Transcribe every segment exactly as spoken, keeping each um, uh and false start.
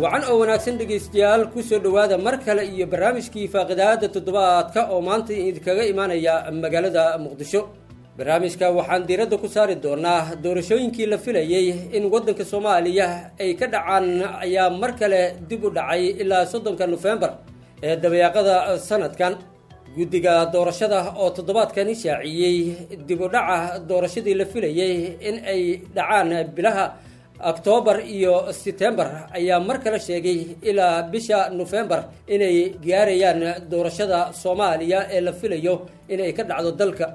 Wacan oo wanaagsan dhegaystayaal, kusoo dhowaada mar kale iyo barnaamijkii faaqidaada toddobaadka oo maanta idinkaga imaanaya magaalada Muqdisho. Barnaamijka waxaan diiradda ku saari doonaa doorashooyinkii la filayey in waddanka Soomaaliya ay ka dhacaan ayaa mar kale dib u dhacay ilaa soddonka Nofembar ee dabayaaqada sanadkan. Guddiga doorashada oo toddobaadkani shaaciyey dib u dhaca doorashadii la filayey in ay dhacaan bilaha Oktoobar iyo Setembar ayaa mar kale sheegay ilaa bisha Nofembar inay gaarayaan doorashada Soomaaliya ee la filayo inay ka dhacdo dalka.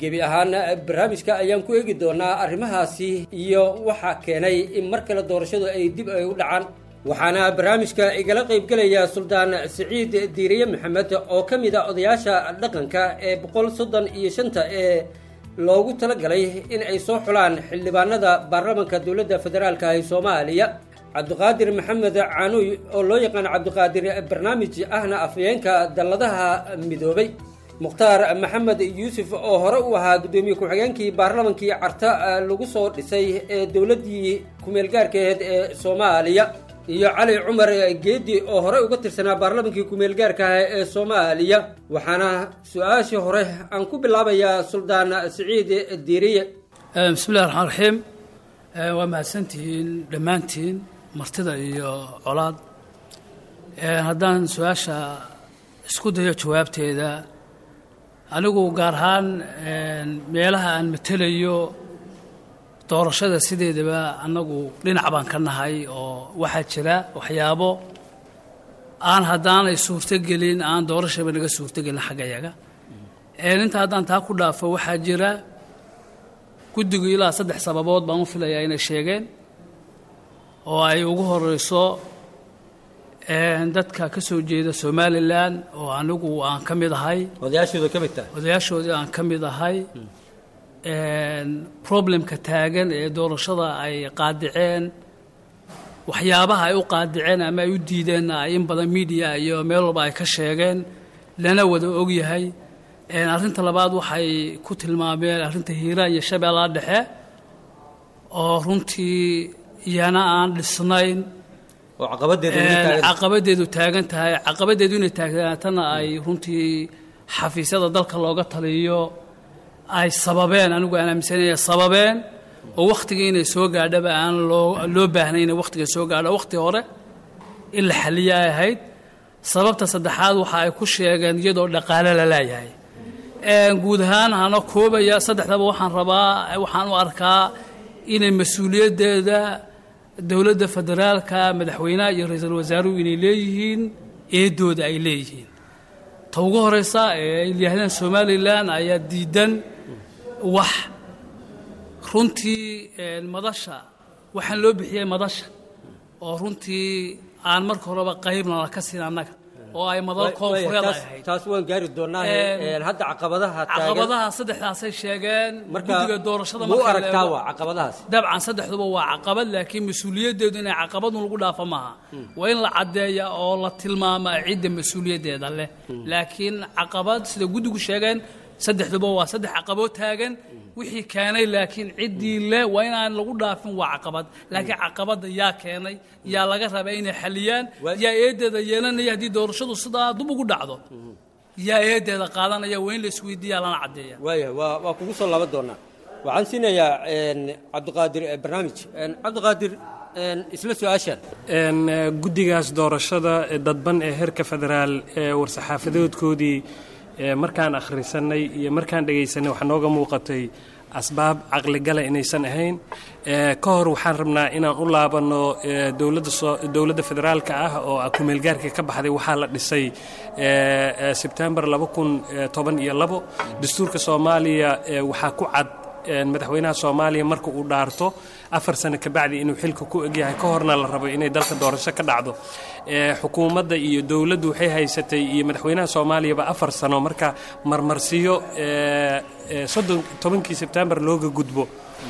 Gebi ahaan barnaamijka ayaan ku eegi doonaa arrimahaasi iyo waxa keenay in mar kale doorashadu ay dib ay u dhacaan. Waxaana barnaamijka igala qaybgelaya Suldaan Siciid Diiriye Maxamed oo ka mid a odayaasha dhaqanka ee boqol soddon iyo shanta ee loogu talagalay in ay soo xulaan xildhibaanada baarlamanka dowladda federaalka ee Soomaaliya, Cabdiqaadir Maxamed Caanuy oo loo yaqaan Cabdiqaadir Barnaamij, ahna afhayeenka dalladaha midoobay, Mukhtaar Maxamed Yuusuf oo hore u ahaa guddoomiye ku-xigeenkii baarlamankii Carta lagu soo dhisay ee dowladdii kumeelgaarkaheed ee Soomaaliya, iyo Cali Cumar Geedi oo hore uga tirsanaa baarlamankii kumeelgaarka ah ee Soomaaliya. Waxaana su-aashii hore aan ku bilaabayaa Suldaan Siciid Diiriye. Bismillahi raxmaan raxiim. Waa mahadsantihiin dhammaantiin martida iyo colaad. Haddaan su-aasha isku dayo jawaabteeda, anigu gaar ahaan meelaha aan matelayo doorashada sideedaba annagu dhinac baan ka nahay, oo waxaa jira waxyaabo aan haddaanay suurtogelin aan doorashaba naga suurtogelin xaggayaga. Inta haddaan taa ku dhaafo, waxaa jira guddigu ilaa saddex sababood baan u filayaa inay sheegeen, oo ay ugu horeyso dadka ka soo jeeda Somalilan oo anigu aan ka mid ahay, odayaashooda ka mid tahay, odayaashoodii aan ka mid ahay, problemka taagan ee doorashada ay qaadiceen, waxyaabaha ay u qaadiceen ama ay u diideenna ay in badan media iyo meel walba ay ka sheegeen, lana wada ogyahay. Arrinta labaad waxay ku tilmaameen arrinta Hiiraan iyo Shabeellaha Dhexe oo runtii iyana aan dhisnayn oo caqabadeedu weli taagan, caqabadeedu taagan tahay, caqabadeedu inay taagnaatana ay runtii xafiisyada dalka looga taliyo ay sababeen, anigu aan aaminsanaya sababeen, oo wakhtigii inay soo gaadhaba aan loo loo baahnay inay wakhtiga soo gaadho, wakhti hore in la xaliya ay ahayd. Sababta saddexaad waxa ay ku sheegeen iyadoo dhaqaale la leeyahay. Guud ahaan hana koobaya saddexdaba, waxaan rabaa, waxaan u arkaa inay mas-uuliyaddeeda dowladda federaalka, madaxweynaha iyo ra-iisul wasaaruhu inay leeyihiin, eedooda ay leeyihiin. Ta ugu horeysa ee ay yidhaahdeen Somalilan ayaa diidan, wax runtii madasha waxaan loo bixiyey madasha oo runtii aan marka horeba qaybna la ka siin annaga oo ay madal koonfureed ay ahayd. Taas waan gaari doonaa. Hadda caqabadaha taagan, caqabadaha saddexdaasay sheegeen guddiga doorashada. Muu aragtaa waa caqabadahaas? Dabcan saddexduba waa caqabad, laakiin mas-uuliyaddeedu inay caqabadun lagu dhaafo maaha, waa in la caddeeya oo la tilmaamaa cidda mas-uuliyaddeeda leh. Laakiin caqabad sida guddigu sheegeen saddexduba waa saddex caqabood taagan wixii keenay, laakiin ciddii le waa inaan lagu dhaafin. Waa caqabad, laakiin caqabadda yaa keenay, yaa laga rabaa inay xaliyaan, yaa eedeeda yeelanaya haddii doorashadu sidaa dub ugu dhacdo, yaa eedeeda qaadanaya? Waa in la isweydiiyaa lana caddeeya. Waaya, waa waa kugu soo laaban doonaa. Waxaan siinayaa Cabdiqaadir Barnaamij. Cabdiqaadir, isla su-aashan. Guddigaas doorashada dadban ee heerka federaal ee war-saxaafadoodkoodii markaan akhrisanay iyo markaan dhegaysanay waxaa nooga muuqatay asbaab caqligala inaysan ahayn. Ka hor waxaan rabnaa inaan u laabanno dowladda dowladda federaalka ah oo kumeelgaarka ka baxday. Waxaa la dhisay Sebtembar laba kun toban iyo labo. Dastuurka Soomaaliya waxaa ku cad madaxweynaha Soomaaliya marka uu dhaarto Afar sano kabacdi inuu xilka ku egyahay, ka horna la rabo inay dalka doorasho ka dhacdo. Xukuumadda iyo dowladdu waxay haysatay iyo madaxweynaha Soomaaliyaba afar sano. Marka marmarsiyo soddon tobankii Sebtembar looga gudbo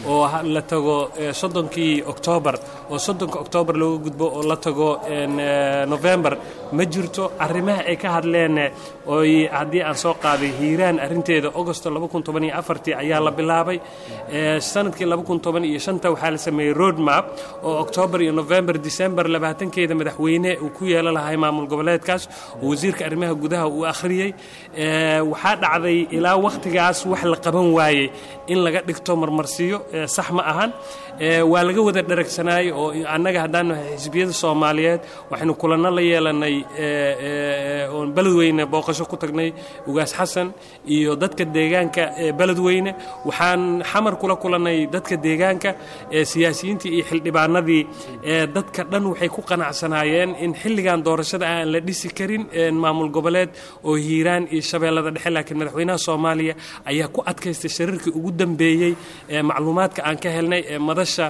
oo la tago soddonkii Oktoobar, oo soddonka Oktoobar looga gudbo oo la tago November, ma jirto. Arrimaha ay ka hadleen oy haddii aan soo qaaday Hiiraan arrinteeda, Augosto laba kun toban iyo afartii ayaa la bilaabay. Sanadkii laba kun toban iyo shanta waxaa la sameeyey road map oo Oktoobar iyo November, December labaatankeeda madaxweyne uu ku yeelan lahay maamul goboleedkaas oo wasiirka arrimaha gudaha uu akhriyey. Waxaa dhacday ilaa wakhtigaas wax la qaban waayey in laga dhigto marmarsiyo sax ma ahan. Waa laga wada dharagsanaayey oo annaga haddaan nahay xisbiyada Soomaaliyeed waxaynu kulanno la yeelanay oon Beledweyne booqasho ku tagnay Ugaas Xasan iyo dadka deegaanka Beledweyne. Waxaan Xamar kula kulannay dadka deegaanka, siyaasiyiintii iyo xildhibaanadii. Dadka dhan waxay ku qanacsanaayeen in xilligan doorashada aan la dhisi karin maamul goboleed oo Hiiraan iyo Shabeellada Dhexe, laakiin madaxweynaha Soomaaliya ayaa ku adkaystay shariirkii ugu dambeeyey. Macluumaadka aan ka helnay ee madasha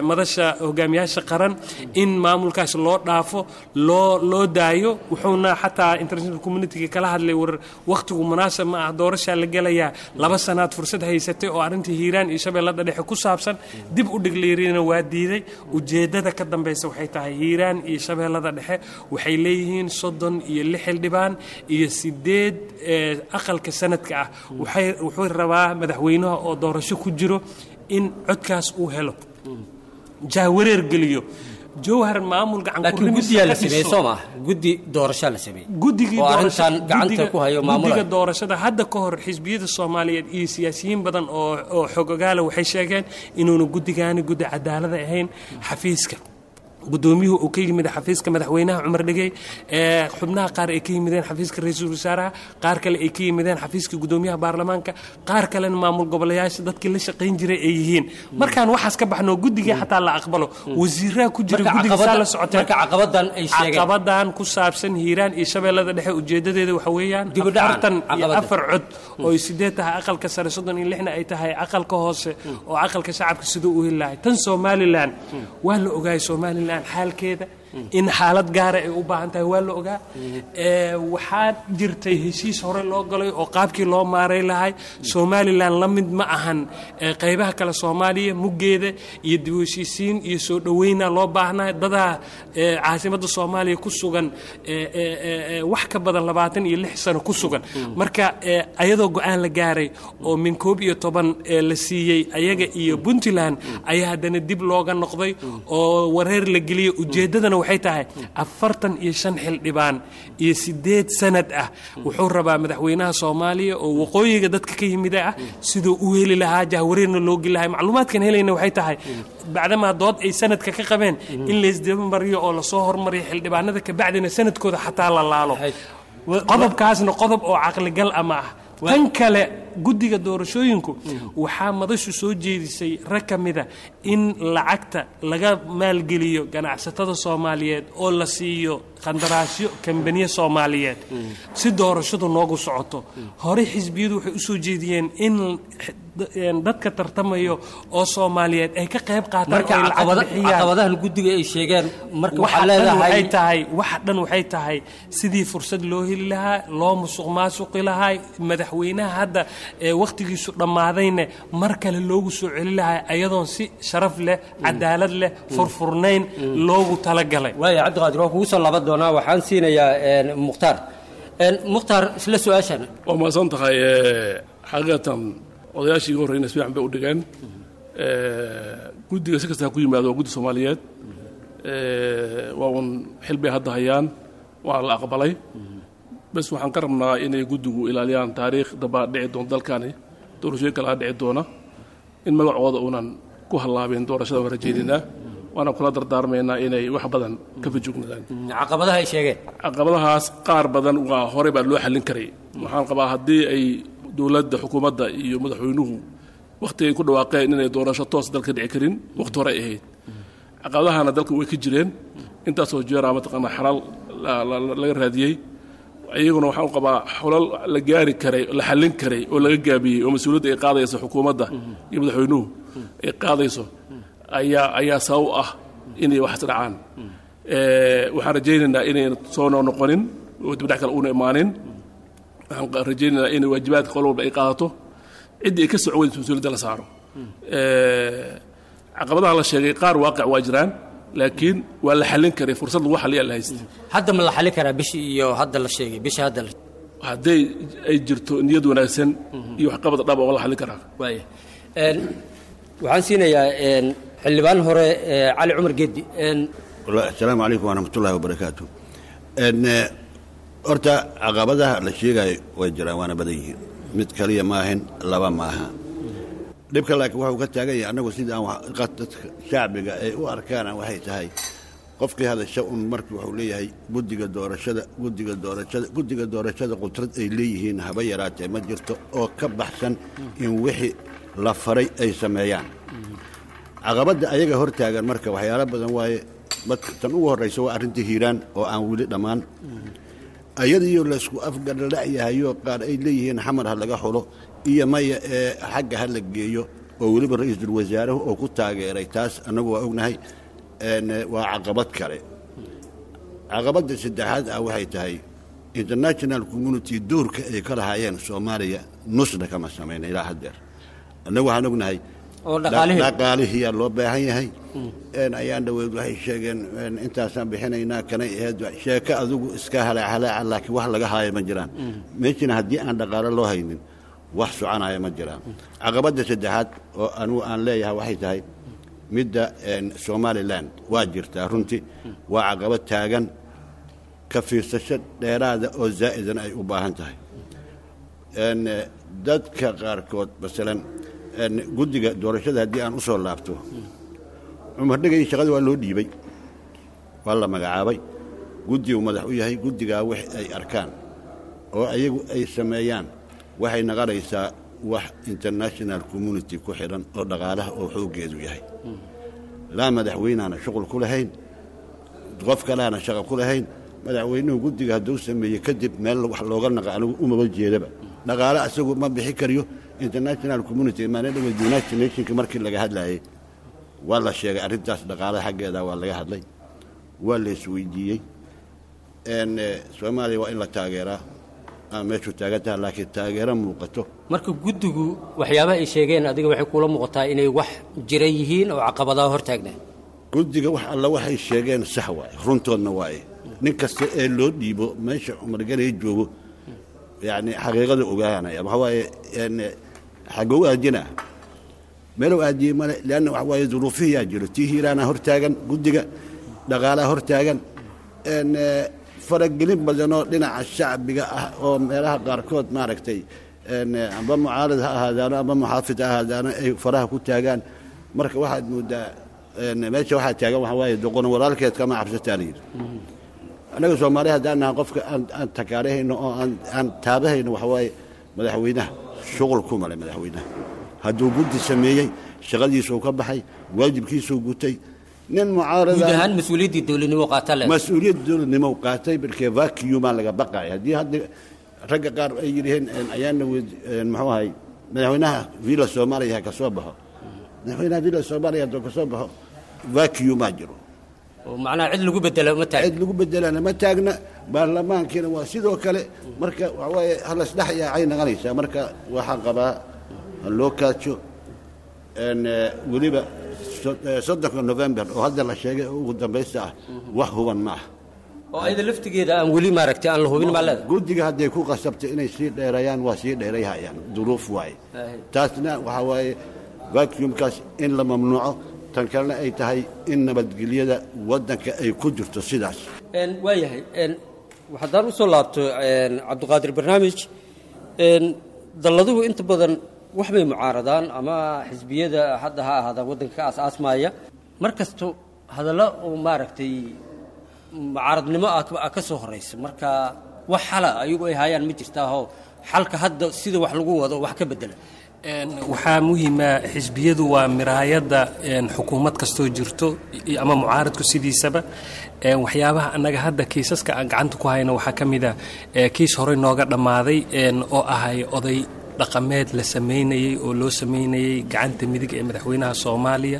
madasha hogaamiyaasha qaran in maamulkaas loo dhaafo, loo loo daayo. Wuxuuna xataa international community kala hadlay, war wakhtigu munaasab ma ah, doorashaa la gelayaa, laba sanaad fursad haysatay oo arrintii Hiiraan iyo Shabeellada Dhexe ku saabsan dib u dhigliirina, waa diiday. Ujeeddada ka dambaysa waxay tahay Hiiraan iyo Shabeellada Dhexe waxay leeyihiin soddon iyo lix xildhibaan iyo sideed aqalka sanadka ah. Waxay wuxuu rabaa madaxweynaha oo doorasho ku jiro in codkaas uu helo, jahwareer geliyo Jowhar, maamul gacan. Laakiin guddiyaa la sameeyey, soo maaha? Guddi doorashaa la sameeyey guddigii oo arrintan gacanta ku hayo maamulaya. Guddiga doorashada hadda ka hor xisbiyada Soomaaliyeed iyo siyaasiyiin badan oo oo xogogaala waxay sheegeen inuuna guddigaani guddi cadaalada ahayn, xafiiska guddoomiyuhu uu ka yimid xafiiska madaxweynaha Cumar Dhigey, ee xubnaha qaar ay ka yimideen xafiiska ra-iisul wasaaraha, qaar kale ay ka yimideen xafiiska guddoomiyaha baarlamaanka, qaar kalena maamul goboleyaasha dadkii la shaqayn jiray ay yihiin. Markaan waxaas ka baxno, guddigii xataa la aqbalo, wasiiraha ku jira guddiga saa la socoteen. Marka caqabadan ay sheegeen, caqabadan ku saabsan Hiiraan iyo Shabeellada Dhexe, ujeedadeeda waxa weeyaan Dib u dhacan, afartan iyo caqabada. afar cod oo ay sideed tahay aqalka sare, soddon iyo lixna ay tahay aqalka hoose oo aqalka shacabka siduu u heli lahay. Tan Somaliland waa la ogaayay, Somaliland xaalkeeda in xaalad gaara ay u baahan tahay waa la ogaa. Ee, waxaa jirtay heshiis hore loo galay oo qaabkii loo maaray lahay. Somaliland la mid ma ahan ee, qaybaha kale Soomaaliya, muggeeda iyo dib u heshiisiin iyo soo dhoweyna loo baahnaa. Dadaa ee, caasimadda Soomaaliya ku sugan ee, ee, ee, ee, wax ka badan labaatan iyo lix sano ku sugan. Marka ee, ayadoo go-aan la gaaray oo min koob iyo toban ee la siiyey ayaga iyo Puntland ayaa haddana dib looga noqday oo wareer la geliyey. Ujeeddadana waxay tahay afartan iyo shan xildhibaan iyo sideed sanad ah wuxuu rabaa madaxweynaha Soomaaliya oo waqooyiga dadka ka yimida ah siduu u heli lahaa, jahwareerna loo geli lahaa. Macluumaadkan helayna waxay tahay bacdamaa dood ay sanadka ka qabeen in laysdaba mariyo oo lasoo hormariyo xildhibaanada, kabacdina sanadkooda xataa la laalo. Qodobkaasna qodob oo caqligal ama ah. Tan kale, guddiga doorashooyinku waxaa madashu soo jeedisay rag ka mida in lacagta laga maalgeliyo ganacsatada Soomaaliyeed oo la siiyo qandaraasyo kambaniye Soomaaliyeed si doorashadu noogu socoto. Hore xisbiyadu waxay usoo jeediyeen in dadka tartamayo oo Soomaaliyeed ay ka qayb qaataan marka oo ay lacag caqabada- bixiyaan. Caqabadahan guddiga ay sheegeen marka waxa waxaa dhan waxay leedahay tahay waxa dhan waxay tahay sidii fursad loo heli lahaa, loo musuq maasuqi lahaa madaxweynaha hadda ee wakhtigiisu dhammaadayna mar kale loogu soo celi lahaa ayadoon si sharaf leh, cadaalad leh, furfurnayn loogu talagalay. Waaya Cabdiqaadir, waa kugu soo laaban doonaa. Waxaan siinayaa een, Mukhtaar. Een, Mukhtaar, isla su-aashan. Waa mahadsan tahay. eh, xaqiiqatan odayaashii iga horreyna si fiican bay u dhigeen. Eh, guddiga si kasta ha ku yimaado, waa guddi Soomaaliyeed. Eh, waa un xil bay hadda hayaan, waana la aqbalay. Bes waxaan ka rabnaa inay guddigu ilaaliyaan taariikh dambaa dhici doonta dalkani, doorashooyin kale dhici doona, in magacooda uunan ku hallaabin doorashada. Waan rajaynaynaa waana kula dardaarmaynaa inay wax badan ka fajugnaadaan caqabadaha ay sheegeen. Caqabadahaas qaar badan waa horey baa loo xallin karay. Waxaan qabaa haddii ay dowladda, xukuumadda iyo madaxweynuhu wakhti ay ku dhawaaqeen inay doorasho toos dalka dhici karin, wakhti hore ay ahayd. Caqabadahana dalka way ka jireen intaasoo jeeraa, mataqaanaa, xalal la- la- laga raadiyey. Iyaguna waxaan u qabaa xulal la gaari karay, la xallin karay oo laga gaabiyey oo mas-uuliyadda ay qaadaysa xukuumadda iyo madaxweynuhu ay qaadayso ayaa ayaa sabab u ah inay waxaas dhacaan. Waxaan rajaynaynaa inayna soo noqonin oo dibdhac kale uuna imaanin. Waxaan rajaynaynaa inay waajibaadka qol walba ay qaadato, ciddii ay ka soco weynayso mas-uuliyadda la saaro. Caqabadaha la sheegay qaar waaqic waa jiraan, laakiin waa la xallin karay, fursad lagu xalliyaa la haystay. Hadda ma la xallin karaa bishii iyo hadda la sheegay bisha hadda la Hadday ay jirto niyad wanaagsan iyo waxqabad dhab, waa la xallin karaa. Waaya, waxaan siinayaa xildhibaan hore Cali Cumar Geeddi. Asalaamu calaykum waraxmat ullahi wabarakaatu. Horta caqabadaha la sheegayo way jiraan, waana badan yihiin, mid kaliya maahan, laba maaha dhibka, laakiin waxuu ka taagan yahay annagu sida aan dadka shacbiga ay u arkaan waxay tahay qofkii hadasha un markii wuxuu leeyahay guddiga doorashada, guddiga doorashada, guddiga doorashada. Qudrad ay leeyihiin haba yaraatee ma jirto oo ka baxsan in wixii la faray ay sameeyaan. Caqabadda ayaga hor taagan marka waxyaalo badan waaye. Tan ugu horraysa waa arrinta Hiiraan oo aan weli dhammaan, ayadiyo laysku afgarla'yahayo, qaar ay leeyihiin Xamar ha laga xulo iyo maya ee xagga ha la geeyo, oo weliba ra-iisul wasaaruhu oo ku taageeray taas, annagu waa ognahay, waa caqabad kale. Caqabadda saddexaad ah waxay tahay international community doorka ay ka lahaayeen Soomaaliya nusna kama samayna ilaa haddeer. Annagu waxaan ognahay dhaqaalihiyaa loo baahan yahay. Ayaan dhaweyd waxay sheegeen intaasaan bixinaynaa, kanay ahayd sheeko adigu iska halaac halaaca, laakiin wax laga haayo ma jiraan meeshina. Haddii aan dhaqaalo loo haynin wax soconaya ma jiraan. Caqabadda saddexaad oo anugu aan leeyahay waxay tahay midda Somaliland. Waa jirtaa runtii, waa caqabad taagan, ka fiirsasho dheeraada oo zaa'idan ay u baahan tahay. Dadka qaarkood, masalan guddiga doorashada haddii aan u soo laabto, Cumar Dhegay shaqada waa loo dhiibay, waa la magacaabay, guddigu madax u yahay. Guddigaa wix ay arkaan oo ayagu ay sameeyaan waxay naqanaysaa wax international community ku xidhan oo dhaqaalaha oo xooggeedu yahay. Laa madaxweyneana shuqul ku lahayn, qof kaleana shaqo ku lahayn. Madaxweynuhu guddiga hadduu sameeye kadib meel wax looga naqa anigu umaba jeedaba. Dhaqaale asagu ma bixi kariyo. International community maalin dhaweyd United Nationka markii laga hadlayay waa la sheegay arrintaas, dhaqaalaha xaggeeda waa laga hadlay, waa la isweydiiyey. Soomaaliya waa in la taageeraa ama meeshuu taagan taha, laakiin taageero muuqato. Marka guddigu waxyaabaha ay sheegeen adiga waxay kuula muuqataa inay wax jira yihiin oo caqabadaha hor taagnaa? Guddiga wax alla waxay sheegeen sax waaye, runtoodna waaye. Nin kasta ee loo dhiibo meesha Cumar Ganay joogo yacni xaqiiqada ogaanaya waxa waaye xagow aadina meelow aadiyey male, leanna waxa waaye duruufihiyaa jiro. Tii Hiiraana hor taagan guddiga, dhaqaalaha hor taagan, faragelin badanoo dhinaca shacbiga ah oo meelaha qaarkood maaragtay amba mucaarad ha ahaadaano amba muxaafid ha ahaadaano ay faraha ku taagaan. Marka waxaad moodaa meesha waxaa taagan waxaa waaye doqon walaalkeed kama cabsataa la yidhi. Annaga Soomaali haddaan nahay, qofka aan aan takaarahayno oo aan aan taabahayno waxa waaye madaxweynaha. Shuqul ku male madaxweynaha. Hadduu guddi sameeyey shaqadiisuu ka baxay, waajibkiisuu gutay. Nin mucaarada guud ahaan mas-uuliyaddii dowladnimo qaata le. Mas-uuliyad dowladnimo qaatay markee vacuumaa laga baqaya. Haddii hadda ragga qaar ay yidhaheen ayaana muxuu ahay madaxweynaha Villa Soomaaliya ha ka soo baxo, madaxweynaha Villa Soomaaliya hadduu ka soo baxo vacuumaa jiro. Oo macnaha cid lagu bedelo ma taagna. Cid lagu bedelana ma taagna. Baarlamaankiina waa sidoo kale. Marka waxa waaye halasdhex yaacay naqanaysaa. Marka waxaan qabaa ha loo kaajo weliba soddonka November oo hadda la sheegay oo ugu dambaysta ah, wax huban ma ah. Oo ayada laftigeeda aan weli maaragtay aan la hubin maa leeda. Guddiga hadday ku qasabtay inay sii dheereeyaan waa sii dheerayhayaan, duruuf waaye taasna. Waxaa waaye vacuumkaas in la mamnuuco, tan kalena ay tahay in nabadgelyada waddanka ay ku jirto sidaas. Waayahay, haddaan usoo laabto Cabdiqaadir Barnaamij, dalladuhu inta badan wax bay mucaaradaan ama xisbiyada hadda ha ahaadaan waddanka ka aas-aasmaaya, mar kasto hadallo oo maaragtay mucaaradnimo ah ka soo horraysa. Marka wax xala ayagu ay hayaan ma jirtaahoo xalka hadda sida wax lagu wado wax ka bedela? Waxaa muhiima xisbiyadu waa miraayadda xukuumad kastoo jirto ama mucaaradku sidiisaba. Waxyaabaha annaga hadda kiisaska aan gacanta ku hayno waxaa ka mid a kiis horey nooga dhammaaday oo ahay oday dhaqameed la sameynayey oo loo sameynayey gacanta midig ee madaxweynaha Soomaaliya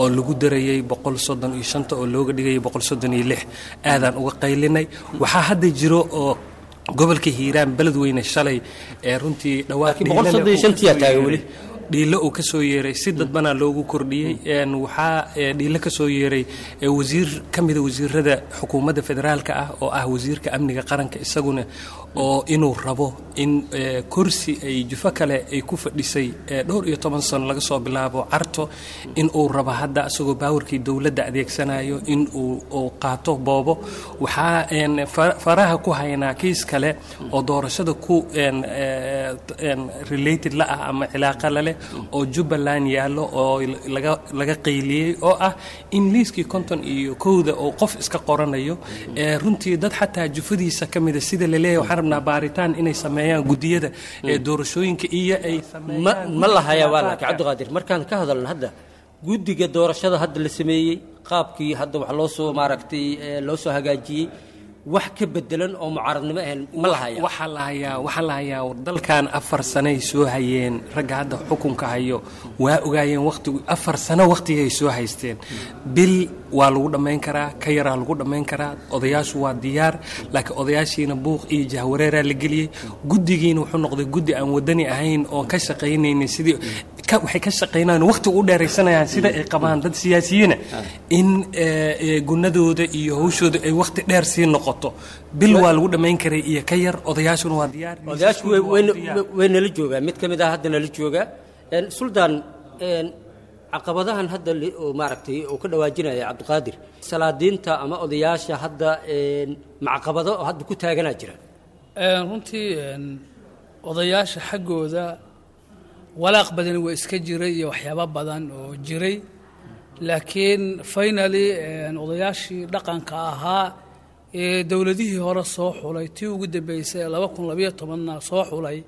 oo lagu darayey boqol soddon iyo shanta oo looga dhigayay boqol soddon iyo lix, aadaan uga qaylinay. Waxaa hadda jiro oo gobolka Hiiraan Beledweyne shalay ee runtii dhawaaq Laakiin boqol soddon iyo shantii yaa taagan weli. Dhiilo uu ka soo yeeray si dadbanaa loogu kordhiyey. Een, waxaa ee, dhiilo ka soo yeeray ee, wasiir ka mida wasiirada xukuumadda federaalka ah oo ah wasiirka amniga qaranka, isaguna oo inuu rabo in ee, kursi ay jufo kale ay ku fadhisay ee, dhowr iyo toban sano laga soo bilaabo Carto, in uu rabo hadda isagoo baawarkii dowladda adeegsanayo in uu uu qaato boobo. Waxaa een, fa- faraha ku haynaa kiis kale oo doorashada ku een, ee, een, related la ah ama cilaaqa la leh oo Jubbaland yaallo oo laga laga qayliyey oo ah in liiskii konton iyo kowda oo qof iska qoranayo ee runtii dad xataa jufadiisa ka mida sida la leeyahay. Waxaan rabnaa baaritaan inay sameeyaan guddiyada ee doorashooyinka iyo ay Ma sameeyaan ma la hayaa waa laakiin Cabdiqaadir, markaan ka hadalno hadda guddiga doorashada hadda la sameeyey, qaabkii hadda wax loo soo maaragtay ee, loo soo hagaajiyey, wax ka bedelan oo mucaaradnimo ahayn ma la hayaa? Waxaa la hayaa, waxaa la hayaa dalkan afar sanay soo hayeen ragga hadda xukunka hayo, waa ogaayeen waqtigu afar sano waqtigay soo haysteen. Bil waa lagu dhammayn karaa, ka yaraa lagu dhammayn karaa. Odayaashu waa diyaar, laakiin odayaashiina buuq iyo jahwareeraa la geliyey. Guddigiina wuxuu noqday guddi aan wadani ahayn oon ka shaqaynaynin sidii ka waxay ka shaqaynayaan waqti u dheeraysanayaan sida ay qabaan dad siyaasiyiina in eh, eh, gunadooda iyo hawshooda ay waqti dheer sii noqoto. Bil waa lagu dhammayn karay iyo ka yar. Odayaashuna waa diyaar. Odayaashu way- Waa way- diyaar. Way nala joogaa, mid ka mid ah hadda nala joogaa. Een, suldaan, een, caqabadahan hadda li- oo maaragtay uu ka dhawaajinaya Cabdiqaadir, salaadiinta ama odayaasha hadda een, macaqabado oo hadda ku taaganaa jira? Een, runtii een, odayaasha xaggooda walaaq badan waa iska jiray iyo waxyaabo badan oo jiray, laakiin finally een, odayaashii dhaqanka ahaa ee dowladihii hore soo xulay, tii ugu dambeysay ee laba kun labayo tobanna soo xulay,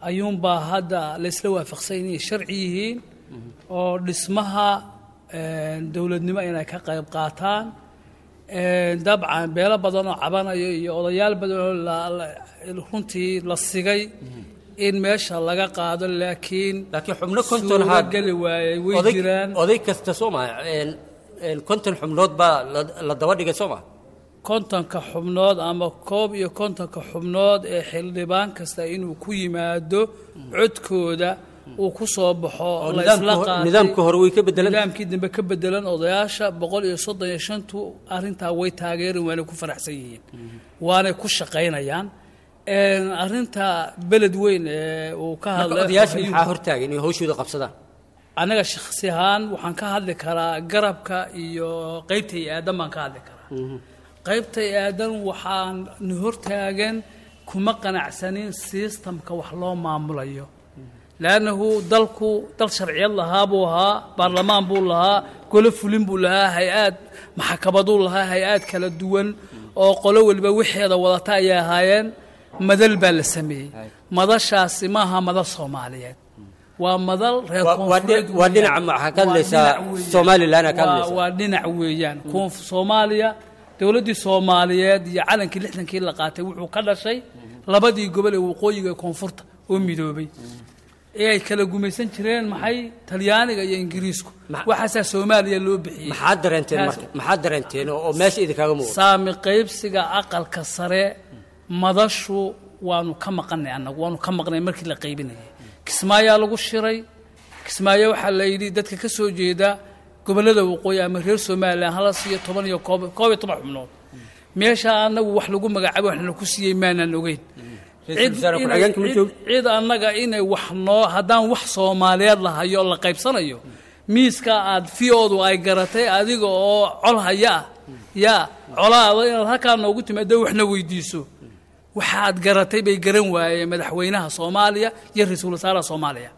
ayuunbaa hadda laysla waafaqsan inay sharci yihiin oo dhismaha een, dowladnimo inay ka qayb qaataan. Een, dabcan beelo badan oo cabanayo iyo odayaal badan oo la- la- runtii la sigay in meesha laga qaado, laakiin Laakiin xubno konton haa suurageli waayey way oday jiraan. Oday kasta soo maha een, een, konton xubnood baa la la daba dhigay soo maha? Kontonka xubnood ama koob iyo kontonka xubnood ee xildhibaan kasta inuu ku yimaado codkooda uu ku soo baxo Oo la nidaamka isla hor- qaatay. Nidaamka hore way ka bedelan. Nidaamkii dambe ka bedelan. Odayaasha boqol iyo soddon iyo shantu arrintaa way taageerin, waanay ku faraxsan yihiin, waanay ku shaqaynayaan. Een, arrinta beled weyn ee uu ka Marka hadlay odayaasha ayuu- maxaa hortaagan inay hawshooda qabsadaan? Anaga shakhsi ahaan waxaan ka hadli karaa garabka iyo qaybta iyo aadan baan ka hadli karaa. Qaybta iyo aadan waxaan na hortaagan kuma qanacsanin systemka wax loo maamulayo, laannahu dalku dal sharciyad lahaa buu ahaa, baarlamaan buu lahaa, golo fulin buu lahaa, hay-aad maxkamaduu lahaa, hay-aad kala duwan oo qolo waliba wixeeda wadata ayay ahaayeen. Madal baa la sameeyey. Madashaasi maaha madal Soomaaliyeed, waa madal reer Waa- waa koonfureed dhi- waa weeyaan. dhinaca maxaa ka Waa hadlaysaa? dhinac weeyaan. Somaliland aa ka Waa- hadlaysaa. Waa dhinac weeyaan. Koonf Soomaaliya, dowladdii Soomaaliyeed iyo calankii lixdankii la qaatay wuxuu ka dhashay labadii gobol ee waqooyiga ee koonfurta oo midoobay ee ay kala gumaysan jireen maxay Talyaaniga iyo Ingiriisku. Ma- Waxaasaa Soomaaliya loo bixiyey. Maxaad dareenteen Taas- marka? Maxaad dareenteen oo oo meesha idinkaaga muuqda? Saami qaybsiga aqalka sare madashu waanu ka maqanay, annagu waanu ka maqnay. Markii la qaybinayay Kismaayaa lagu shiray. Kismaayo waxaa la yidhi dadka ka soo jeeda gobollada waqooyi ama reer Somaliland hala siiyo toban iyo koob koob iyo toban xubnood. Meesha annagu wax lagu magacaabay waxna ku siiyey maanaan ogeyn. Ra'iisul wasaare Cid- ku-xigeenka ma cid- joogo? Cid annaga inay wax noo haddaan wax Soomaaliyeed la hayo la qaybsanayo miiska aad fiyoodu ay garatay adiga oo col haya ah yaa colaada inaad halkaa noogu timaado waxna weydiiso, waxaad garatay bay garan waayeen madaxweynaha Soomaaliya iyo ra-iisul wasaaraha Soomaaliya.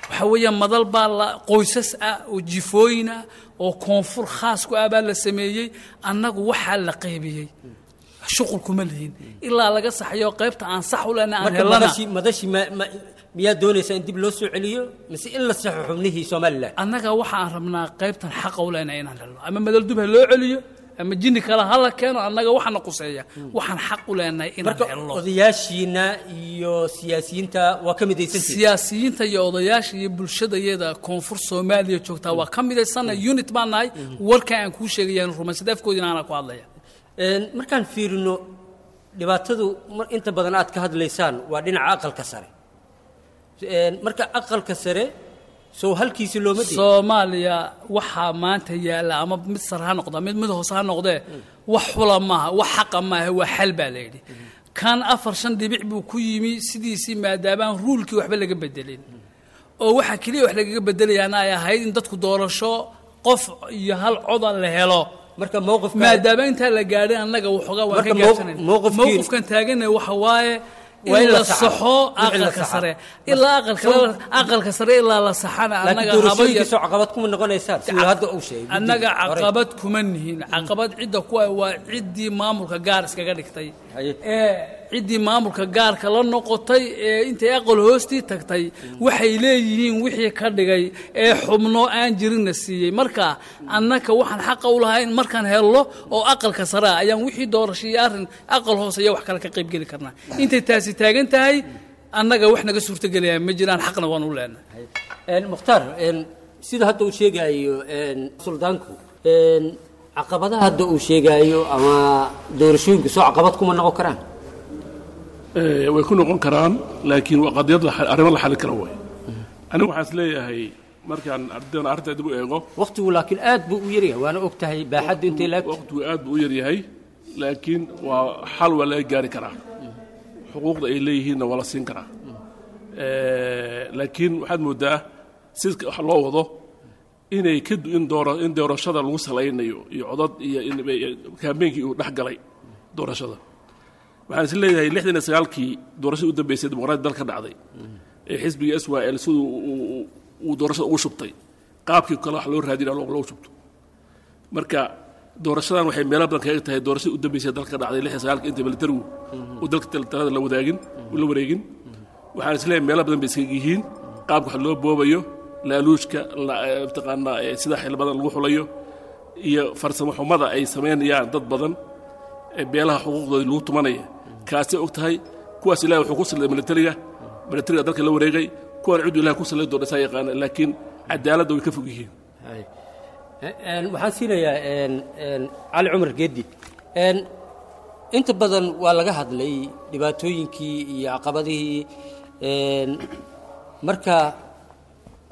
Waxaa weeye madal baa la qoysas ah oo jifooyin ah oo koonfur khaas ku ah baa la sameeyey. Annagu waxaa la qaybiyey shuqul kuma lihin ilaa laga saxayo qaybta aan sax u lehna aan Marka helana. madashii madashii ma ma miyaa doonaysaa in dib loo soo celiyo mise in la saxo xubnihii Somaliland? Annaga waxa aan rabnaa qaybtan xaqa u lehna inaan helno, ama madal dub ha loo celiyo ama jinni kale ha la keeno, annaga waxaana quseeya waxaan xaq u leenahay inaan marka helno. Odayaashiina iyo siyaasiyiinta waa ka midaysantihiin? Siyaasiyiinta iyo odayaasha iyo bulshadayada koonfur Soomaaliya joogtaa waa ka midaysana, unit baan nahay. Warka aan kuu sheegayaan rumaysad, afkoodina anaa ku hadlaya. Een, markaan fiirino dhibaatadu mar inta badan aad ka hadlaysaan waa dhinaca aqalka sare. Een, marka aqalka sare soo halkiisi looma diin. Soomaaliya waxaa maanta yaalla ama mid sare ha noqda, mid mid hoose ha noqdee, wax xula maaha, wax xaqa maaha, waa xal baa la yidhi. Kan afar shan dhibic buu ku yimi sidiisii, maadaamaan ruulkii waxba laga bedelin, oo waxa keliya wax lagaga bedelayaana ay ahayd in dadku doorasho qof iyo hal coda la helo. Marka mowqifka maadaama intaa la gaadhay annaga waxoogaa waan ka Marka mow- gaabsanayna. mowqifkiin- Mowqifkan taagana waxa waaye Waa in in la la saxo. saxo Wixii la aqalka saxo. sare, ilaa aqalka aqalka sare ilaa la saxana laakiin annaga haba doorashooyinkiisoo caqabad kuma noqonaysaan siduu hadda uu sheegay guddiga annaga hore. Caqabad kuma nihin. Caqabad cidda ku ah waa ciddii maamulka gaar iskaga dhigtay, Haye. ee ciddii maamulka gaarka la noqotay ee intay aqal hoostii tagtay waxay leeyihiin wixii ka dhigay ee xubno aan jirinna siiyey. Marka annaka waxaan xaqa u lahayn markaan helno oo aqalka sare ah ayaan wixii doorasho iyo arrin aqal hoose iyo wax kale ka qaybgeli karnaa. Intay taasi taagan tahay annaga wax naga suurtagelaya ma jiraan, xaqna waan u leenahay. Een, Mukhtaar, een, sida hadda uu sheegaayo een, suldaanku, een, caqabadaha hadda uu sheegaayo ama doorashooyinku soo caqabad kuma noqon karaan? Eh, way ku noqon karaan, laakiin waa qadiyad la xal- arrimo la xalin karo way. Anigu waxaan is leeyahay markaan ardaydan arrinta dib u eego, waqtigu laakiin aad buu u yaryahay, waana og tahay baaxaddu intay laagto. Waqtigu aad buu u yaryahay, laakiin waa xal waa laga gaari karaa, xuquuqda ay leeyihiinna waa la siin karaa. Eh, laakiin waxaad moodaa sida wax loo wado inay ka du- in doora in doorashada lagu salaynayo iyo codad iyo in kaambeynkii uu dhex galay doorashada. Waxaan is leeyahay lixdan iyo sagaalkii doorashadii u dambeysay dimuqraadi dalka dhacday ee xisbiga S Y L siduu uu- uu- uu doorashada ugu shubtay, qaabkii kale wax loo raadinaa loo loogu shubto. Marka doorashadan waxay meelo badan kaga tahay doorashadii u dambeysay dalka dhacday lixdan iyo sagaalkii inta militarigu uu dalka tal- talada la wadaagin uu la wareegin. Waxaan is leeyahay meelo badan bay iskaga yihiin qaabka wax loo boobayo, laaluushka la- eh, mataqaanaa eh, sida xil badan lagu xulayo iyo farsamo xumada ay samaynayaan dad badan ee beelaha xuquuqdooda lagu tumanaya. Kaasay og tahay kuwaas ilahay wuxuu ku salliday militariga, militariga dalka la wareegay. Kuwan ciduu ilahay ku sallay doona isaa yaqaana, laakiin cadaaladda way ka fog yihiin. Hay. Een, waxaan siinayaa een, een, Cali Cumar Geedi. Een, inta badan waa laga hadlay dhibaatooyinkii iyo caqabadihii. Een, marka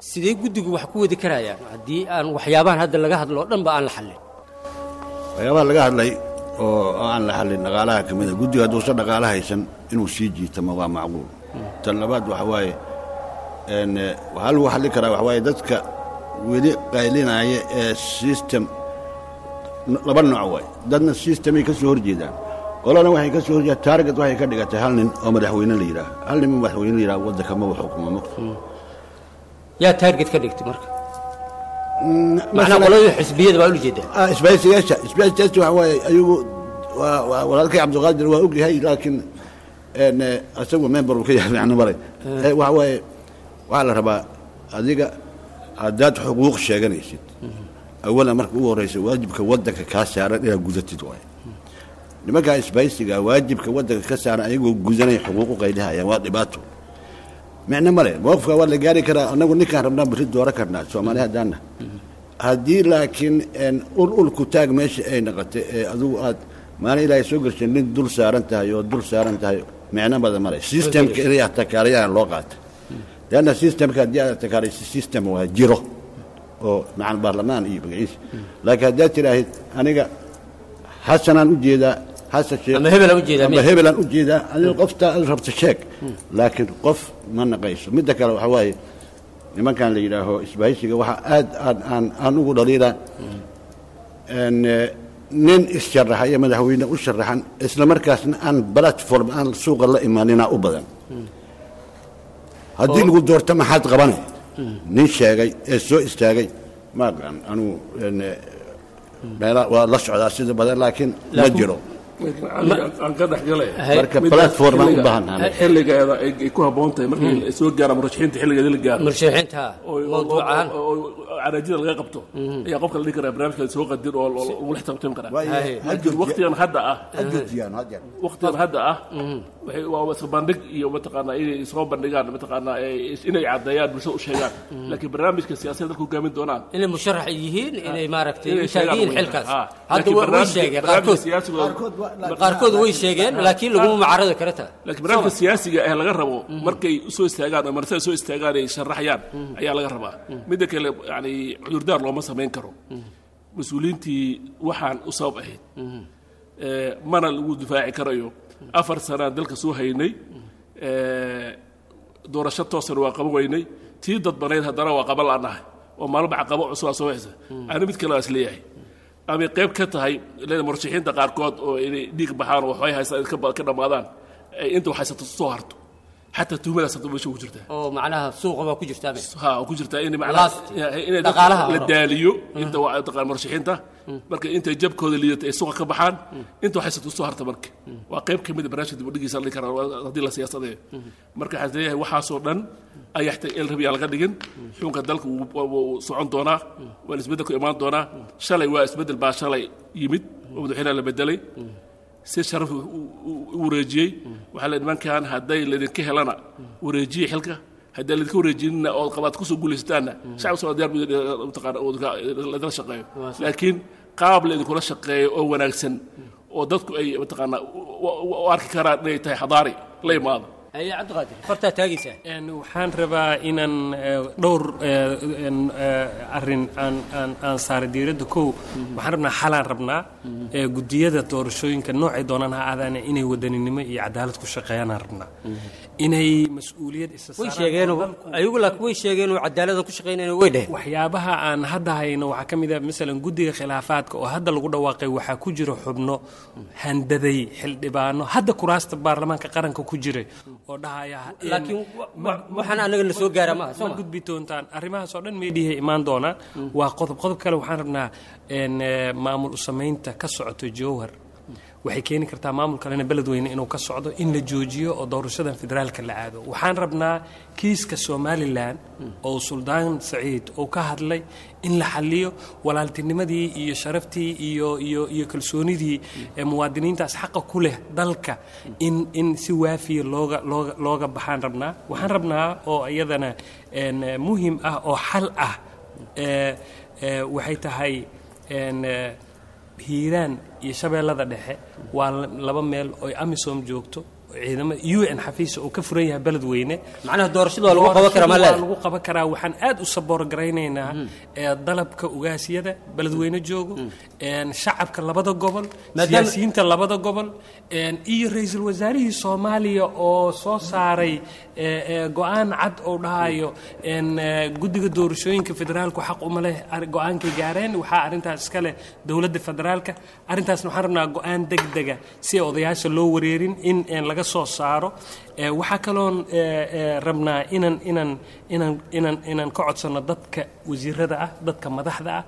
sidee guddigu wax ku wadi karayaan haddii aan waxyaabahan hadda laga hadlo oo dhan ba aan la xallin? Waxyaabaha laga hadlay oo oo aan la xallin dhaqaalaha ka mid a. Guddiga hadduusan dhaqaala haysan inuu sii jiitamo waa macquul. Tan labaad waxa waaye een, eh, waxaa lagu xallin karaa waxa waaye dadka weli qaylinaya ee system laba nooc waay. Dadna systemay ka soo horjeedaan, qolana waxay ka soo horjeedaan target waxay ka dhigatay hal nin oo madaxweyne la yidhaaho, hal nin oo madaxweyne la yidhaaho waddanka maba xukumo mogta. Yaa target ka dhigtay marka? Macnaa qoladii xisbiyada baa ula jeedaa? Ah, isbahaysiyaasha isbahaysiyaasha waxa waaye ayagu waa waa walaalkay Cabdiqaadir waa ogyahay, laakiin een eh, isagu member uu ka yahay macno maray. Eh, waxa waaye waxaa la rabaa adiga haddaad xuquuq sheeganaysid, awalan marka ugu horreysa waajibka waddanka kaa saaran inaad gudatid waaye. Nimankaa isbahaysiga waajibka waddanka ka saaran ayagoo gudanaya xuquuq u qaylihayaan waa dhibaato, micno male. Mowqifka waa la gaari karaa, annagu ninkaan rabnaa berri dooran karnaa Soomaali haddaanna haddii, laakiin een, ul ul ku taag meesha ay noqotay ee adigu aad maalin ilaahay soo gashay nin dul saaran tahay oo dul saaran tahay, micno badan male. Systemka inay atakaarayaan loo qaata, leanna systemka haddii aad atakaarayso system waa jiro oo macal baarlamaan iyo magaciisa, laakiin haddaad tidhaahid aniga Xasanaan u jeedaa, Xasan Sheekh Ama hebelaan u jeedaa, ama miya? Hebelaan u jeedaa, adiga qofta aad rabto sheeg, laakiin qof ma naqayso. Midda kale waxa waaye nimankan la yidhaaho isbahaysiga waxaa aad aan aan aan ugu dhaliilaa een, eh, nin issharaxaya madaxweyne u sharaxan isla markaasna aan platform aan suuqa la imaanina u badan. Haddii lagu doorto maxaad qabanay nin sheegay ee soo istaagay ma aqaan anugu een, eh, meela waa la socdaa sida badan, laakiin ma Laakiin- jiro. Laakiin cali aan ka dhex galay. Marka Midda platform aan u xilliga- baahannahay. xilligeeda ay ay ku habboon tahay markii ay soo gaaraan murashaxiinta xilligeeda la gaaro Murashaxiinta oo- mawduuc ahaan oo- oo- caraajida laga qabto ayaa qofka la dhihi karaa barnaamijka soo qadin oo lagula xisaabtami karaa. Waayo, ha laakiin waqtigan hadda ah, ha joojiyaan haddeer. Waqtigan hadda ah waxay waa isla bandhig iyo mataqaanaa inay soo bandhigaan, mataqaanaa inay caddeeyaan, bulshada u sheegaan, laakiin barnaamijka siyaasadda dalka hogaamin doonaan, inay musharax yihiin, inay maaragtay inay u taagan yihiin sheegaan. Xilkaas Ha. hadda Laakiin way way barnaamijka- sheegeen barnaamijka qaarkood. siyaasigooda- Qaarkood waa- Qaarkood way sheegeen, laakiin laguma mucaaradi kara taa. Laakiin barnaamijka siyaasiga ee laga rabo markay usoo istaagaan oo marsada soo istaagaan ay sharaxayaan ayaa laga rabaa. Midda kale, yani cudurdaar looma samayn karo mas-uuliyiintii waxaan u sabab ahayd. Ee, mana lagu difaaci karayo afar sanaan dalka soo haynay, ee, doorasho toosana waa qaban weynay, tii dadbanayd haddana waa qaban la'nahay oo maalba caqabo cusub aa soo baxaysa. Ani mid kale waa isleeyahay amay qayb ka tahay leeda murashaxiinta qaarkood oo inay dhiig baxaan oo waxbay haystaan ka ba- ka dhammaadaan, ay inta wax haysato soo harto, xataa tuhmadaas hadda meesha ku jirtaa. Oo macnaha suuqa baa ku jirtaa be. Ha, oo ku jirtaa in Last. Inay Dhaqaalaha la hore. daaliyo inta waa taqaan murashaxiinta, marka intay jabkooda liidato ay suuqa ka baxaan, inta wax haysato soo harta. Marka waa qayb ka mid a barnaamijka dib u dhigiisa la dhihi karaa haddii la siyaasadeeyo. Marka waxaan leeyahay waxaasoo dhan ayaa xitaa el rabi aan laga dhigin. Xukunka dalka wuu- wuu wuu socon doonaa, waa isbeddelku imaan doonaa. Shalay waa isbeddel baa shalay yimid oo madaxweynaha la bedelay si sharaf u- u u wareejiyey. Waxaa la nimankan hadday laydinka helana wareejiye xilka, haddii laydinka wareejinina oo qabaad kusoo guulaysataanna shacabka soo diyaar buu mataqaana oo idinla shaqeeyo, laakiin qaab laydinkula shaqeeyo oo wanaagsan oo dadku ay mataqaana u- u u arki karaan inay tahay xadaari la imaado. Haye Cabdiqaadir, fartaa taagaysaa. Een, waxaan rabaa inaan eh, dhowr eh, een, eh, arrin aan aan aan saaro diiradda. Kow, waxaan rabnaa xalaan rabnaa eh, guddiyada doorashooyinka noocay doonaan ha aadaane inay wadaninimo iyo cadaalad ku shaqeeyaanaan rabnaa, inay mas-uuliyad isa Way saaraan. sheegeen ayagu, laakiin way sheegeen oo cadaalada ku shaqeynayna way dheheen. Waxyaabaha aan hadda hayno waxaa ka mid ah masalan guddiga khilaafaadka oo hadda lagu dhawaaqay, waxaa ku jira xubno handaday xildhibaano hadda kuraasta baarlamaanka qaranka ku jiray oo dhahaya in- Laakiin wa- wa- waxaan anaga na soo gaara maaha, soo ma ma gudbi doontaan. Arrimahaas oo dhan meediyahay imaan doonaan. Waa qodob. Qodob kale waxaan rabnaa een, eh, maamul u samaynta ka socoto Jowhar waxay keeni kartaa maamul kalena beledweyne inuu ka socdo, in la joojiyo oo doorashadan federaalka la aado. Waxaan rabnaa kiiska Somalilan oo Suldaan Saciid uu ka hadlay in la xaliyo, walaaltinimadii iyo sharaftii iyo iyo iyo kalsoonidii ee muwaadiniintaas xaqa ku leh dalka in in si waafiya looga looga looga baxaan rabnaa. Waxaan rabnaa oo iyadana een, eh, muhim ah oo xal ah ee, ee, waxay tahay een, eh, Hiiraan iyo Shabeellada Dhexe waa laba meel oo AMISOM joogto, ciidamo U N xafiisa oo ka furan yahay Beledweyne. Macnaha doorashada waa lagu qaban karaa, ma Doorashada waa leedahay? Lagu qaban karaa. Waxaan aad u saboor garaynaynaa ee dalabka ugaasyada Beledweyne joogo, een shacabka labada gobol, Maadaama- siyaasiyiinta labada gobol, een iyo ra'iisul wasaarihii Soomaaliya oo soo saaray ee, ee, go'aan cad oo dhahayo een ee, guddiga doorashooyinka federaalku xaq uma leh ar- go'aankay gaareen, waxaa arrintaas iska leh dowladda federaalka. Arrintaasna waxaan rabnaa go'aan degdega si odayaasha loo wareerin in een laga soo saaro. Ee, waxaa kaloon ee, ee, rabnaa inaan inaan inaan inaan inaan ka codsano dadka wasiirada ah, dadka madaxda ah,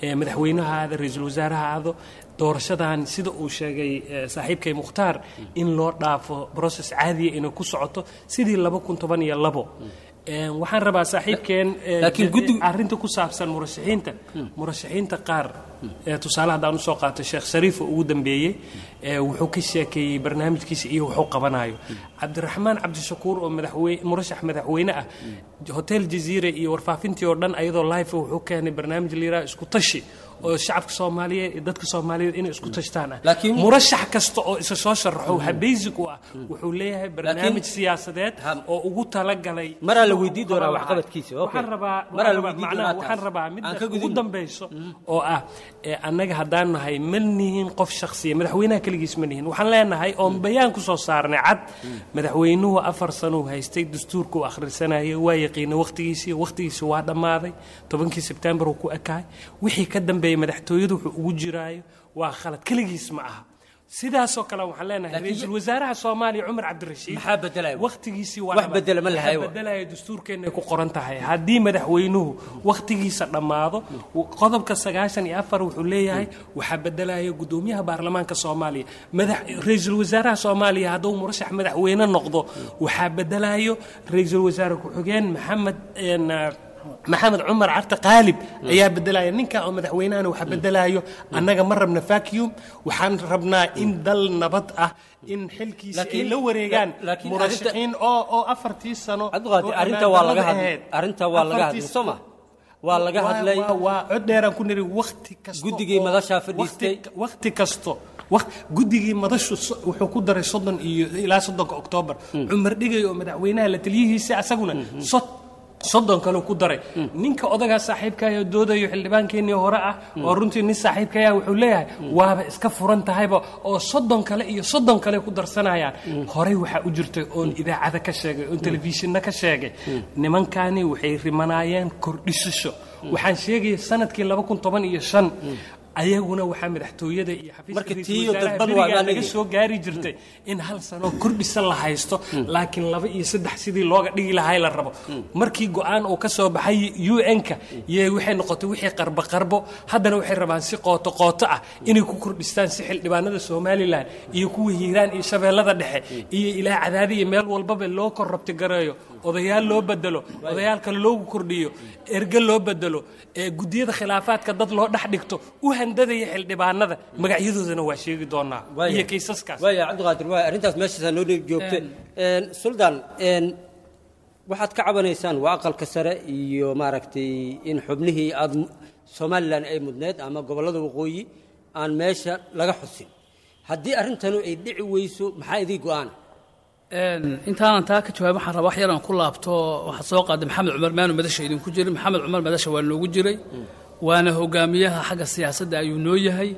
ee madaxweynaha ahaado, ra'iisul wasaaraha ahaado, doorashadan sida uu sheegay ee, saaxiibkay Mukhtaar in loo dhaafo process caadiya inay ku socoto sidii laba kun toban iyo labo. Een, waxaan rabaa saaxiibkeen ee, Laakiin guddigu- arrinta ku saabsan murashaxiinta murashaxiinta qaar ee tusaale haddaan usoo qaato Sheekh Shariif oo ugu dambeeyey, ee wuxuu ka sheekeeyey barnaamijkiisa iyo wuxuu qabanayo. Cabdiraxmaan Cabdishakuur oo madaxweyne, murashax madaxweyne ah, Hotel Jaziira iyo warfaafintii oo dhan ayadoo live wuxuu keenay barnaamij la yidhaha isku tashi oo shacabka Soomaaliyeed iyo dadka Soomaaliyeed inay isku tashtaan ah. Laakiin- Murashax kasta oo isa soo sharaxo waxaa basic u ah wuxuu leeyahay barnaamij siyaasadeed Ha- oo ugu talagalay. Maraa la weydii doonaa waxqabadkiisa, okay. Waxaan rabaa Maraa la waxaan rabaa- weydii macnaha doonaa waxaan taas. rabaa Aan midda ka ugu gudubno. dambayso oo ah ee annaga haddaan nahay ma nihin qof shakhsiya, madaxweynaha keligiis ma nihin. Waxaan leenahay oon bayaan ku soo saarnay cad, madaxweynuhu afar sano uu haystay, dastuurka uu akhrisanayay, waa yaqiinay waqtigiisii waqtigiisii waa dhammaaday, tobankii Sebtembar uu ku ekahay. Wixii ka dambeeyey madaxtooyadu wuxuu ugu jiraayo waa khalad, keligiis ma aha. Sidaasoo kale waxaan leenahay Laakiin- ra'iisul wasaaraha Soomaaliya Cumar Cabdirashiid Maxaa bedelaya? waqtigiisii waa Wax dhamaaday. bedela ma lahayo. Waxa bedelaya dastuurkeena ay ku qoran tahay haddii madaxweynuhu waqtigiisa dhammaado, qodobka sagaashan iyo afar wuxuu leeyahay waxaa bedelaya gudoomiyaha baarlamaanka Soomaaliya. Madax ra'iisul wasaaraha Soomaaliya hadduu murashax madaxweyne noqdo waxaa bedelayo ra'iisul wasaare ku-xigeen Maxamed een, Maxamed Cumar Carte Qaalib ayaa bedelaya ninka oo madaxweynahana waxa bedelayo. Annaga ma rabna vacuum, waxaan rabnaa in dal nabad ah in xilkiisa ay la wareegaan murashaxiin oo oo afartii sano. Cabdiqaadir, arrinta waa laga hadlay, arrinta waa laga hadlay, soo ma waa laga hadlay? Waa cod dheeraan ku niri waqti kasto. Guddigii madashaa fadhiistay. Waqti kasto guddigii madashu wuxuu ku daray soddon iyo ilaa soddonka Oktoobar. Cumar Dhigay oo madaxweynaha la taliyihiisa asaguna soddon kale ku daray. Ninka odagaa saaxiibkaayoo doodayo, xildhibaankeenii hore ah oo runtii nin saaxiibkaya, wuxuu leeyahay waaba iska furan tahayba oo soddon kale iyo soddon kale ku darsanayaan. Horey waxaa u jirtay oon idaacada ka sheegay oon telefishinna ka sheegay, nimankani waxay rimanaayeen kordhisasho. Waxaan sheegaya sanadkii laba kun toban iyo shan ayaguna waxaa madaxtooyada iyo xafiiska ra'iisul laga soo gaari jirtay in hal sano kordhisa la haysto, laakiin laba iyo saddex sidii looga dhigi lahay la rabo. Markii go'aan uu ka soo baxay U N-ka yee waxay noqotay wixii qarbo qarbo. Haddana waxay rabaan si qooto qooto ah inay ku kordhistaan, si xildhibaanada Somaliland iyo kuwa Hiiraan iyo Shabeellada Dhexe iyo ilaa Cadaadi iyo meel walbaba loo korrabti gareeyo, odayaal loo bedelo, odayaal kale loogu kordhiyo, erge loo bedelo, guddiyada khilaafaadka dad loo dhex dhigto u handadaya xildhibaanada. Magacyadoodana waa sheegi doonaa iyo kaysaskaas. Waaya Cabdiqaadir, waaya, arrintaas meeshaasaa noo joogta. Suldaan, waxaad ka cabanaysaan waa aqalka sare iyo maaragtay in xubnihii aada Somaliland ay mudneed ama gobollada waqooyi aan meesha laga xusin. Haddii arrintanu ay dhici weyso, maxaa idii go'aana? Intaanan taa ka jawaab, waxaan rabaa wax yaraan ku laabto. Waxaad soo qaaday Maxamed Cumar maanu madasha idinku jirin. Maxamed Cumar madasha waa noogu jiray, waana hogaamiyaha xagga siyaasadda ayuu noo yahay,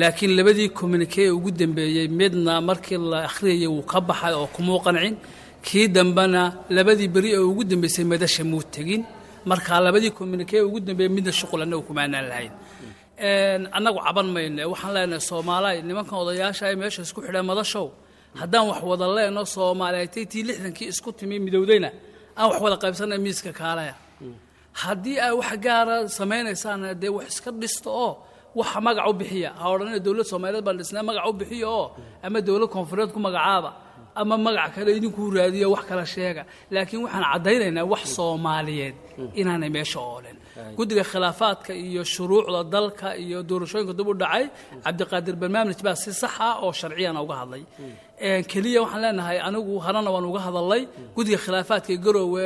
laakiin labadii communique ee ugu dambeeyey midna markii la akhriyayay wuu ka baxay oo kumuu qancin. Kii dambena labadii beri ee ugu dambeysay madasha muu tegin. Marka labadii communique ee ugu dambeeyey midna shuqul annagu kumaanaan lahayn. Annagu caban mayne, waxaan leenahay Soomaaliya, nimankan odayaasha ay meesha isku xidhaan madashow, haddaan wax wada leenno Soomaaliyeetay tii lixdankii isku timi midowdayna aan wax wada qaybsanay miiska kaalaya. Haddii ay wax gaara samaynaysaan, dee wax iska dhisto oo waxa magac u bixiya. Ha odhanina dowlad Soomaaliyeed baan dhisnaa, magac u bixiya oo ama dowlad koonfureed ku magacaaba ama magac kale idinkuu raadiyo, wax kala sheega. Laakiin waxaan caddaynaynaa wax Soomaaliyeed inaanay meesha oolen. Guddiga khilaafaadka iyo shuruucda dalka iyo doorashooyinka dib u dhacay, Cabdiqaadir barnaamij baa si sax ah oo sharciyana uga hadlay. Keliya waxaan leenahay, anigu horena waan uga hadalay, guddiga khilaafaadka ee Garoowe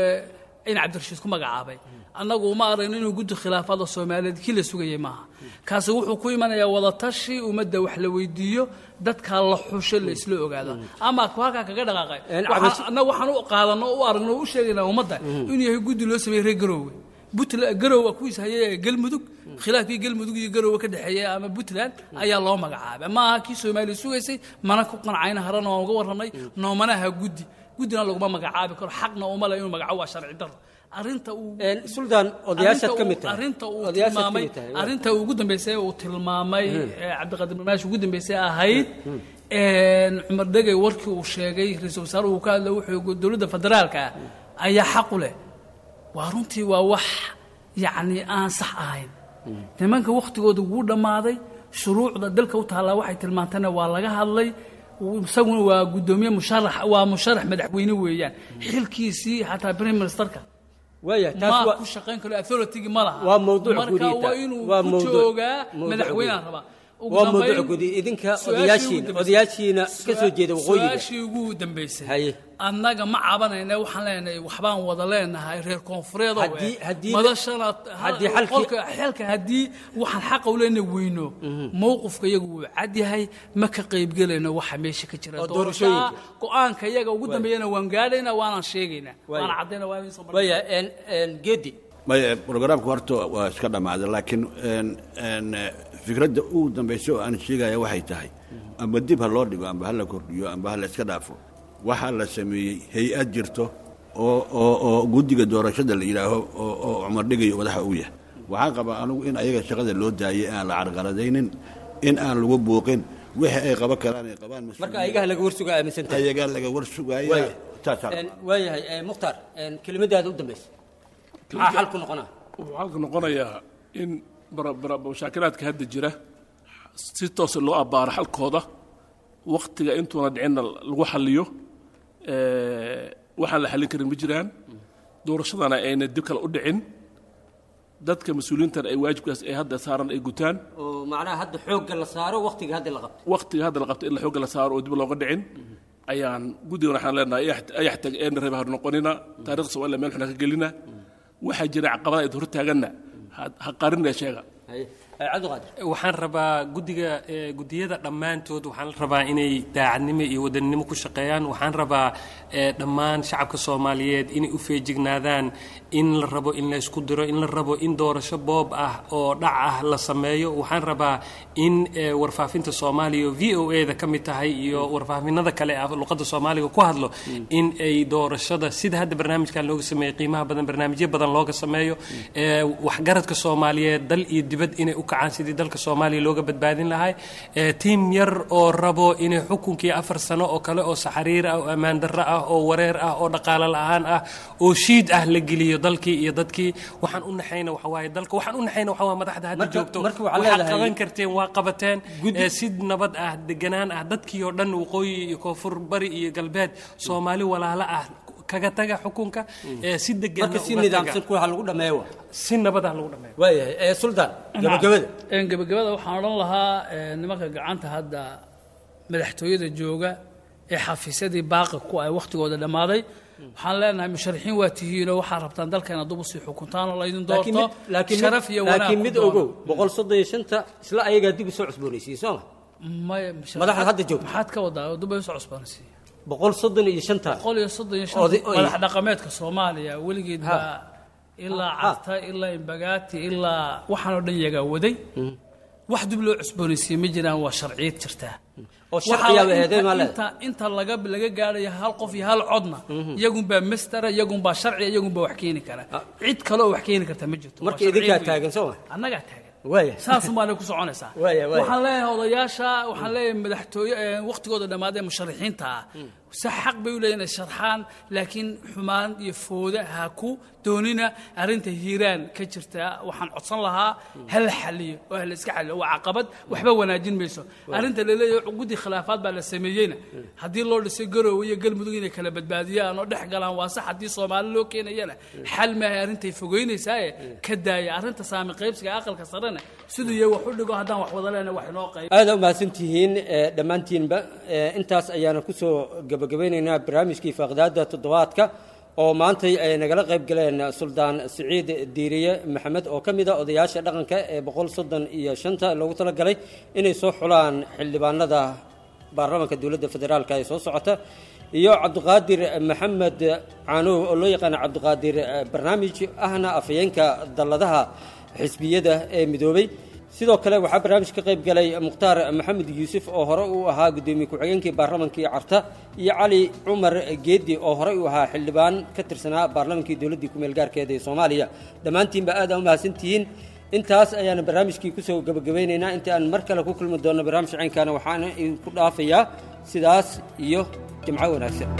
in Cabdirashiid ku magacaabay annagu uma aragno inuu guddi khilaafaadda Soomaaliyeed kii la sugayay maaha. Kaasi wuxuu ku imanayaa wadatashi ummadda, wax la weydiiyo, dadka la xusho, la isla ogaado. Ama ku halkaa kaga dhaqaaqay, annagu waxaan u qaadano, u aragno, u sheegaynaa ummadda inuu yahay guddi loo sameeyey reer Garoowe, Puntland, Garowe kuwiis hayay, Galmudug, khilaafkii Galmudug iyo Garowe ka dhexeeyay ama Puntland ayaa loo magacaabay. Ma aha kii Soomaaliya sugaysay, mana ku qancayna. Harana waan uga warramay, noomanaha guddi, guddina laguma magacaabi karo, xaqna uma le inuu magacaabo, waa sharci darro. Arrinta uu Suldaan, odayaashaad ka mid tahay. Arrinta uu tilmaamay, arrinta ugu dambeysay uu tilmaamay Cabdiqaadir Barmaash ugu dambeysay ahayd Cumar Dhegey, warkii uu sheegay ra-iisul wasaare uu ka hadlay, wuxuu dowladda federaalka ah ayaa xaq u leh. Waa runtii waa wax yacni aan sax ahayn. Nimanka wakhtigooda wuu dhammaaday, shuruucda dalka u taallaa waxay tilmaantayna waa laga hadlay. Isaguna waa guddoomiye musharax, waa musharax madaxweyne weeyaan, xilkiisii xataa prime ministerka waaya taas ma waa ku shaqayn karo, authority ma laha. Waa mawduuc marka guud. Waa inuu waa ku mawduuc- joogaa mawduuc madaxweyneha guud. rabaa. Ugu Waa dambayn, mawduuc guud. Idinka su-aashii ugu odayaashiina dambeysay- odayaashiina ka soo jeeda waqooyiga. Su-aashii ugu dambeysay, Haye. annaga ma cabanayna, waxaan leenahay waxbaan wada leenahay reer koonfureed oo Haddii- haddii- madashana haddii xalkii- qolka xelka haddii waxaan xaqa u leenahay weyno, mowqifka iyagu wuu cad yahay, ma ka qaybgelayno waxa meesha ka jira Oo doorashada. Doorashooyinka. Go-aanka iyaga ugu dambeeyana waan gaadhaynaa, waanaan sheegaynaa, Waaya. waana caddaynaa, waa idin soo bandhignaa. Waaya en en Geedi. Maya, programku horta waa iska dhammaaday, laakiin en en fikradda ugu dambaysa oo aan sheegaya waxay tahay, amba dib ha loo dhigo, amba ha la kordhiyo, amba ha la iska dhaafo, waxaa la sameeyey hay-ad jirto oo oo oo guddiga doorashada la yidhaaho oo oo Cumar Dhigayo madaxa uu yahay. Waxaan qabaa anigu in ayaga shaqada loo daayay, aan la carqaladaynin, in aan lagu buuqin, wixii ay qaban karaan ay qabaan. Marka ayagaa laga warsugaa aaminsan tahay? Ayagaa laga war sugaaya. Waaya. Taasaa. En, waayahay eh, Mukhtaar, en, kelimadaada u dambaysa, maxaa xalku noqonaa? Wuxuu xalku noqonayaa in bara- bara- mashaakilaadka hadda jira si toosa loo abbaaro xalkooda, waktiga intuuna dhicinna lagu xalliyo. Eh, waxaan la xallin karin ma jiraan, doorashadana ayna dib kale u dhicin. Dadka mas-uuliyiintan ay waajibkaas ay hadda saaran ay gutaan, oo macnaha hadda xoogga la saaro waqtiga hadda la qabto, waqtiga hadda la qabto in la xoogga la saaro oo dib looga dhicin ayaan guddigan waxaan leenahay ayax tag een reeb har noqonina, taariikhda Soomaaliya meel xun ha ka gelina. Waxaa jira caqabada ay hor taaganna ha qarinna sheega. Waxaan rabaa guddiga, guddiyada dhammaantood waxaan rabaa inay daacadnimo iyo wadaninimo ku shaqeeyaan. Waxaan rabaa dhammaan shacabka Soomaaliyeed inay u feejignaadaan in la rabo in la isku diro, in la rabo in doorasho boob ah oo dhac ah la sameeyo. Waxaan rabaa in warfaafinta Soomaaliya oo V O A da ka mid tahay iyo warfaafinada kale ah luqadda Soomaaliga ku hadlo in ay doorashada sida hadda barnaamijkan looga sameeyey qiimaha badan, barnaamijyo badan looga sameeyo. Waxgaradka Soomaaliyeed dal iyo dibad inay u kacaan sidii dalka Soomaaliya looga badbaadin lahay. Tiim yar oo rabo inay xukunkii afar sano oo kale oo saxariir ah oo ammaan darro ah oo wareer ah oo dhaqaale la'aan ah oo shiid ah la geliyo dalkii iyo dadkii. Waxaan u naxayna waxa waaye dalka, waxaan u naxayna waxa waaye madaxda hadda joogto. Waxaad qaban karteen waa qabateen si nabad ah, deganaan ah, dadkii oo dhan waqooyi iyo koonfur, bari iyo galbeed, Soomaali walaalo ah kaga taga xukunka si degan, marka si nidaamsan ku waxa lagu dhameeyo, si nabad ah lagu dhameeyo. Waayahay ee Suldaan, gabagabada. Een gabagabada waxaan odhan lahaa nimanka gacanta hadda madaxtooyada jooga ee xafiisyadii baaqa ku ay waqtigooda dhammaaday, waxaan leenahay musharaxiin waa tihiinoo waxaa rabtaan dalkeena dub usii xukuntaan oo laydin doorto sharaf iyo wanaag. Laakiin mid ogow, boqol soddon iyo shanta isla ayagaa dib usoo cusboonaysiiyey sooma? Maya, madaxda hadda joogta maxaad ka wadaa dub ay usoo cusboonaysiiyey? Boqol soddon iyo shanta, boqol iyo soddon iyo shanta madax dhaqameedka Soomaaliya weligeed baa ilaa Carta ilaa Imbagaati ilaa waxaan oo dhan yagaa waday. Wax dib loo cusboonaysiiyey ma jiraan, waa sharciyad jirtaa oo sharciyaa eeday ma leedahay. Inta laga laga gaarayo hal qof iyo hal codna iyagunbaa mastera, iyagunbaa sharci, iyagunbaa wax keeni kara. Cid kale oo wax keeni karta ma jirto. Marka idinkaa taagan sooma? Annagaa taagan, waaya saasun baa ku soconaysaa. Waxaan leeyahay odayaasha, waxaan leeyahay madaxtooye waqtigooda dhammaadee musharaxiinta ah, si xaq bay u leeyihin inay sharxaan, laakiin xumaan iyo fooda ha ku doonina. Arrinta Hiiraan ka jirta waxaan codsan lahaa ha la xaliyo oo ha la iska xaliyo, waa caqabad waxba wanaajin mayso. Arrinta laleeyahay guddi khilaafaad baa la sameeyeyna, haddii loo dhisay Garoowe iyo Galmudug inay kala badbaadiyaan oo dhex galaan waa sax, haddii Soomaali loo keenayana xal maahay, arrintay fogeynaysaa ka daaya. Arrinta saami qaybsiga aqalka sarena siduu yahay wax u dhigo, haddaan wax wada lehna wax inoo qayb. Aada u mahadsantihiin dhammaantiinba. Intaas ayaana kusoo gabagabaynaynaa barnaamijkii faaqidaada toddobaadka oo maantay ay nagala qayb galeen Suldaan Siciid Diiriye Maxamed oo ka mid ah odayaasha dhaqanka ee boqol soddon iyo shanta loogu talagalay inay soo xulaan xildhibaanada baarlamaanka dowladda federaalka ee soo socota, iyo Cabdiqaadir Maxamed Caanow oo loo yaqaano Cabdiqaadir Barnaamij, ahna afhayeenka dalladaha xisbiyada ee midoobay. Sidoo kale waxaa barnaamij ka qayb galay Mukhtaar Maxamed Yuusuf oo hore uu ahaa guddoomiye ku-xigeenkii baarlamankii Carta, iyo Cali Cumar Geedi oo horey uu ahaa xildhibaan ka tirsanaa baarlamankii dowladdii ku-meel gaarkeeda ee Soomaaliya. Dhammaantiinba aad aa u mahadsantihiin. Intaas ayaana barnaamijkii kusoo gabagabaynaynaa. Inta aan mar kale ku kulmi doonno barnaamij caynkaana, waxaana idinku dhaafayaa sidaas iyo jimco wanaagsan.